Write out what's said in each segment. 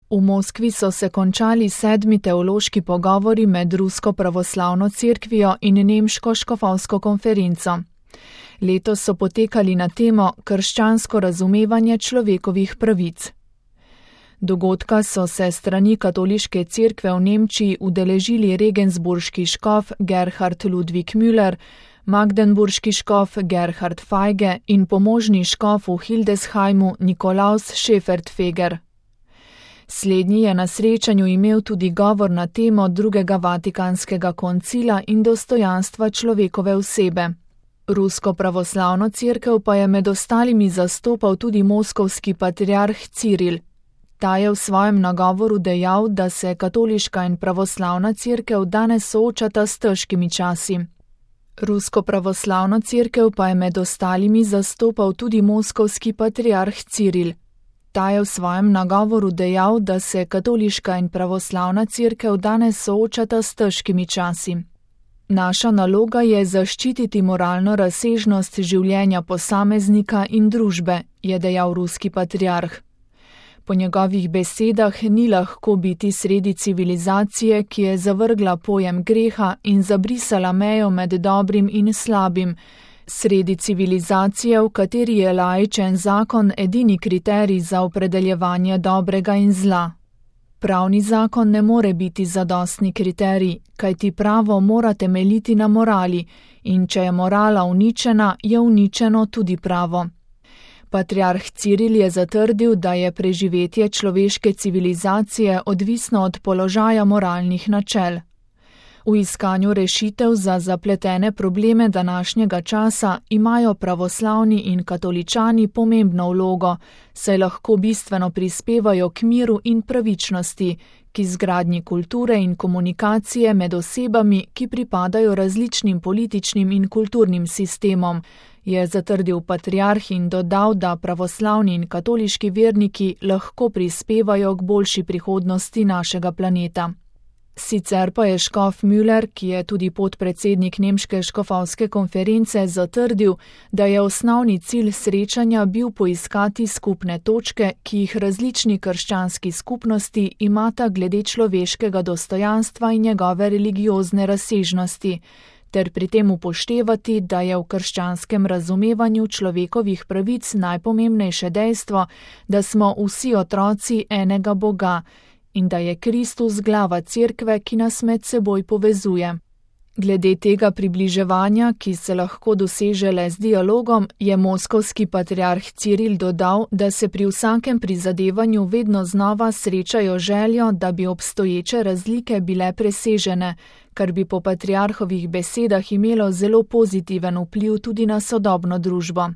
V Moskvi so se končali 7. teološki pogovori med Rusko pravoslavno cerkvijo in Nemško škofovsko konferenco. Letos so potekali na temo krščansko razumevanje človekovih pravic. Dogodka so se strani katoliške cerkve v Nemčiji udeležili regensburški škof Gerhard Ludwig Müller, magdeburški škof Gerhard Feige in pomožni škof v Hildesheimu Nikolaus Schäfertfeger. Slednji je na srečanju imel tudi govor na temo drugega vatikanskega koncila in dostojanstva človekove osebe. Rusko pravoslavno cerkev pa je med ostalimi zastopal tudi moskovski patriarh Ciril. Ta je v svojem nagovoru dejal, da se katoliška in pravoslavna cerkev danes soočata s težkimi časi. Rusko pravoslavno cerkev pa je med ostalimi zastopal tudi moskovski patriarh Ciril. Ta je v svojem nagovoru dejal, da se katoliška in pravoslavna cerkev danes soočata s težkimi časi. Naša naloga je zaščititi moralno razsežnost življenja posameznika in družbe, je dejal ruski patriarh. Po njegovih besedah ni lahko biti sredi civilizacije, ki je zavrgla pojem greha in zabrisala mejo med dobrim in slabim, sredi civilizacije, v kateri je laičen zakon edini kriterij za opredeljevanje dobrega in zla. Pravni zakon ne more biti zadostni kriterij, kajti pravo mora temeljiti na morali, in če je morala uničena, je uničeno tudi pravo. Patriarh Ciril je zatrdil, da je preživetje človeške civilizacije odvisno od položaja moralnih načel. V iskanju rešitev za zapletene probleme današnjega časa imajo pravoslavni in katoličani pomembno vlogo, saj lahko bistveno prispevajo k miru in pravičnosti, k izgradnji kulture in komunikacije med osebami, ki pripadajo različnim političnim in kulturnim sistemom, je zatrdil patriarh in dodal, da pravoslavni in katoliški verniki lahko prispevajo k boljši prihodnosti našega planeta. Sicer pa je škof Müller, ki je tudi podpredsednik Nemške škofovske konference, zatrdil, da je osnovni cilj srečanja bil poiskati skupne točke, ki jih različni krščanski skupnosti imata glede človeškega dostojanstva in njegove religiozne razsežnosti, ter pri tem upoštevati, da je v krščanskem razumevanju človekovih pravic najpomembnejše dejstvo, da smo vsi otroci enega Boga, in da je Kristus glava cerkve, ki nas med seboj povezuje. Glede tega približevanja, ki se lahko doseže le z dialogom, je moskovski patriarh Ciril dodal, da se pri vsakem prizadevanju vedno znova srečajo željo, da bi obstoječe razlike bile presežene, kar bi po patriarhovih besedah imelo zelo pozitiven vpliv tudi na sodobno družbo.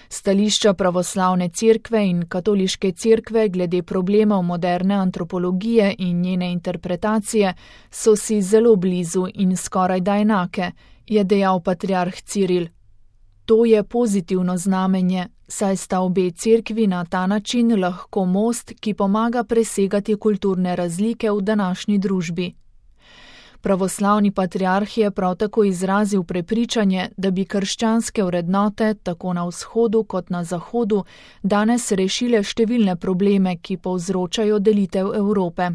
Stališča pravoslavne cerkve in katoliške cerkve glede problemov moderne antropologije in njene interpretacije so si zelo blizu in skorajda enake, je dejal patriarh Ciril. To je pozitivno znamenje, saj sta obe cerkvi na ta način lahko most, ki pomaga presegati kulturne razlike v današnji družbi. Pravoslavni patriarh je prav tako izrazil prepričanje, da bi krščanske vrednote, tako na vzhodu kot na zahodu, danes rešile številne probleme, ki povzročajo delitev Evrope.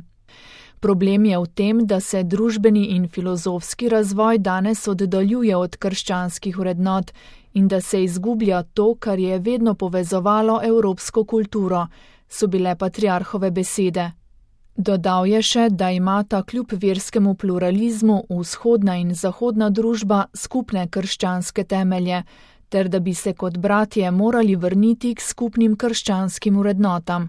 Problem je v tem, da se družbeni in filozofski razvoj danes oddaljuje od krščanskih vrednot in da se izgublja to, kar je vedno povezovalo evropsko kulturo, so bile patriarhove besede. Dodal je še, da imata kljub verskemu pluralizmu vzhodna in zahodna družba skupne krščanske temelje, ter da bi se kot bratje morali vrniti k skupnim krščanskim vrednotam.